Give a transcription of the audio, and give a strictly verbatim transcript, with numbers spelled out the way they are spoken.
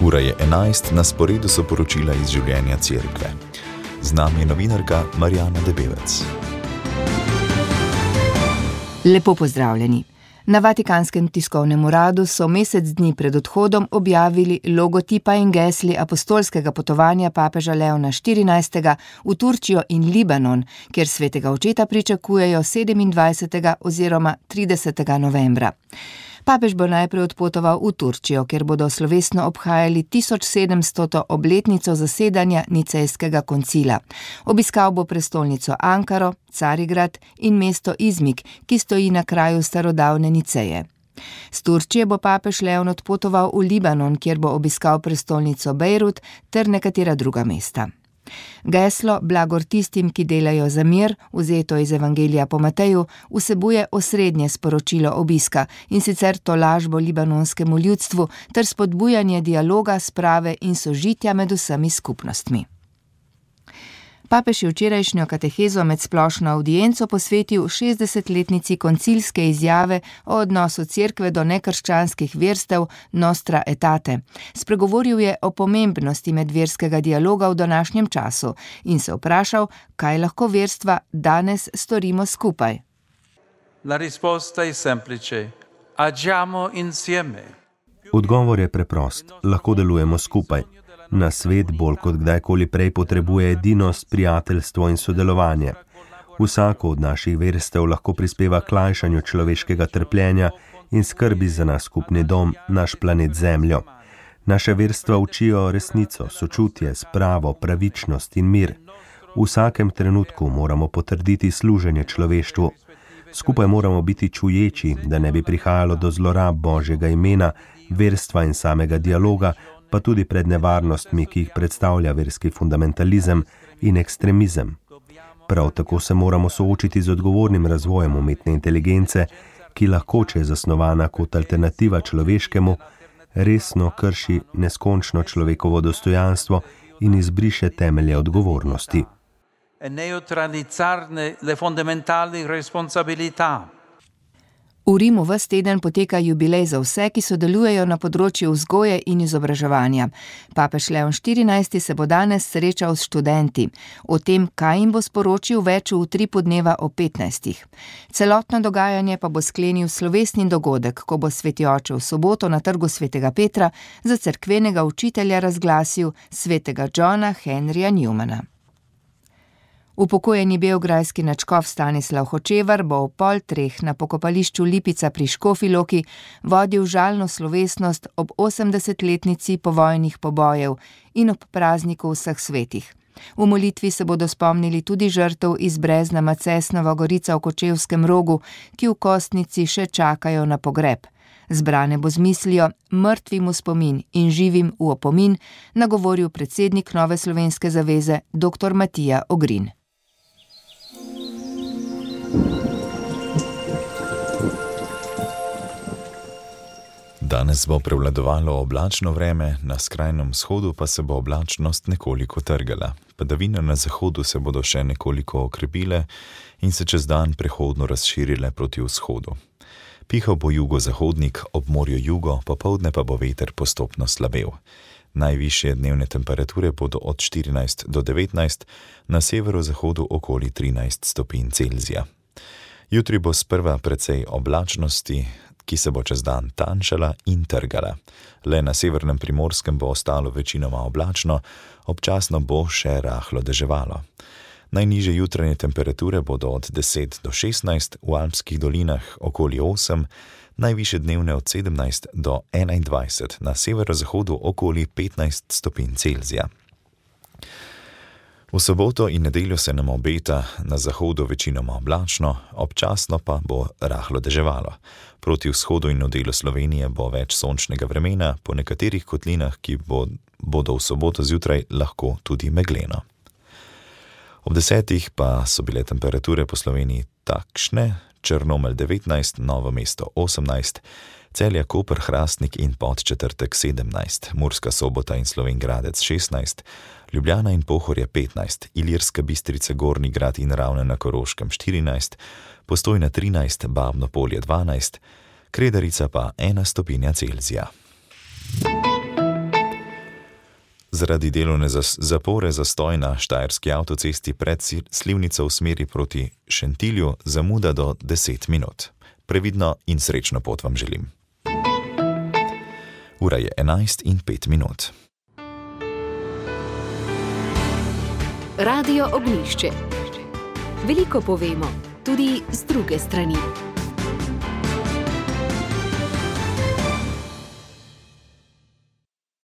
Ura je enajst, na sporedu so poročila iz življenja cerkve. Z nami je novinarka Marjana Debevec. Lepo pozdravljeni. Na Vatikanskem tiskovnem uradu so mesec dni pred odhodom objavili logotipa in gesli apostolskega potovanja papeža Leona štirinajstega v Turčijo in Libanon, kjer svetega očeta pričakujejo sedemindvajsetega oziroma tridesetega novembra. Papež bo najprej odpotoval v Turčijo, kjer bodo slovesno obhajali tisoč sedemstoto obletnico zasedanja Nicejskega koncila. Obiskal bo prestolnico Ankaro, Carigrad in mesto Izmik, ki stoji na kraju starodavne Niceje. Z Turčije bo papež Leon odpotoval v Libanon, kjer bo obiskal prestolnico Bejrut ter nekatera druga mesta. Geslo Blagor tistim, ki delajo za mir, vzeto iz Evangelija po Mateju, vsebuje osrednje sporočilo obiska, in sicer tolažbo libanonskemu ljudstvu ter spodbujanje dialoga, sprave in sožitja med vsemi skupnostmi. Papež je včerajšnjo katehezo med splošno avdienco posvetil šestdesetletnici koncilske izjave o odnosu cerkve do nekrščanskih verstev Nostra Aetate. Spregovoril je o pomembnosti medverskega dialoga v današnjem času in se vprašal, kaj lahko verstva danes storimo skupaj. La risposta è semplice. Agiamo insieme. Odgovor je preprost. Lahko delujemo skupaj. Na svet bolj kot kdajkoli prej potrebuje edinost, prijateljstvo in sodelovanje. Vsako od naših verstev lahko prispeva k lajšanju človeškega trpljenja in skrbi za naš skupni dom, naš planet Zemljo. Naše verstva učijo resnico, sočutje, spravo, pravičnost in mir. V vsakem trenutku moramo potrditi služenje človeštvu. Skupaj moramo biti čuječi, da ne bi prihajalo do zlorab Božjega imena, verstva in samega dialoga, pa tudi pred nevarnostmi, ki jih predstavlja verski fundamentalizem in ekstremizem. Prav tako se moramo soočiti z odgovornim razvojem umetne inteligence, ki lahko, če je zasnovana kot alternativa človeškemu, resno krši neskončno človekovo dostojanstvo in izbriše temelje odgovornosti. E neutralizzarne le fondamentali responsabilità. V Rimu ves teden poteka jubilej za vse, ki sodelujejo na področju vzgoje in izobraževanja. Papež Leon štirinajsti se bo danes srečal s študenti. O tem, kaj jim bo sporočil, več v utripu dneva o petnajstih. Celotno dogajanje pa bo sklenil slovesni dogodek, ko bo sveti oče v soboto na trgu svetega Petra za cerkvenega učitelja razglasil svetega Johna Henrya Newmana. Upokojeni beograjski nadškof Stanislav Hočevar bo ob pol treh na pokopališču Lipica pri Škofji Loki vodil žalno slovesnost ob osemdesetletnici povojnih pobojev in ob prazniku vseh svetih. V molitvi se bodo spomnili tudi žrtev iz Brezna Macesnova Gorica v Kočevskem Rogu, ki v Kostnici še čakajo na pogreb. Zbrane bo z mislijo mrtvim v spomin in živim v opomin nagovoril predsednik Nove slovenske zaveze dr. Matija Ogrin. Danes bo prevladovalo oblačno vreme, na skrajnem vzhodu pa se bo oblačnost nekoliko trgala. Padavine na zahodu se bodo še nekoliko okrepile in se čez dan prehodno razširile proti vzhodu. Pihal bo jugozahodnik, ob morju jugo, popoldne pa bo veter postopno slabel. Najvišje dnevne temperature bodo od štirinajst do devetnajst, na severozahodu okoli trinajst stopinj Celzija. Jutri bo sprva precej oblačnosti, ki se bo čez dan tanjšala in trgala. Le na severnem Primorskem bo ostalo večinoma oblačno, občasno bo še rahlo deževalo. Najnižje jutranje temperature bodo od deset do šestnajst, v alpskih dolinah okoli osem, najvišje dnevne od sedemnajst do enaindvajset, na severozahodu okoli petnajst stopinj Celzija. V soboto in nedeljo se nam obeta na zahodu večinoma oblačno, občasno pa bo rahlo deževalo. Proti vzhodu in v delu Slovenije bo več sončnega vremena, po nekaterih kotlinah, ki bo, bodo v soboto zjutraj lahko tudi megleno. Ob desetih pa so bile temperature po Sloveniji takšne: Črnomelj devetnajst, Novo mesto osemnajst, Celje, Koper, Hrastnik in Podčetrtek sedemnajst, Murska Sobota in Slovenj Gradec šestnajst, Ljubljana in Pohorje petnajst, Ilirska Bistrica, Gornji Grad in Ravne na Koroškem štirinajst, Postojna trinajst, Babno Polje dvanajst, Kredarica pa ena stopinja Celzija. Zaradi delovne zapore zastoj na štajerski avtocesti pred Slivnico v smeri proti Šentilju zamuda do deset minut. Previdno in srečno pot vam želim. Ura je enajst in pet minut. Radio Ognjišče. Veliko povemo, tudi z druge strani.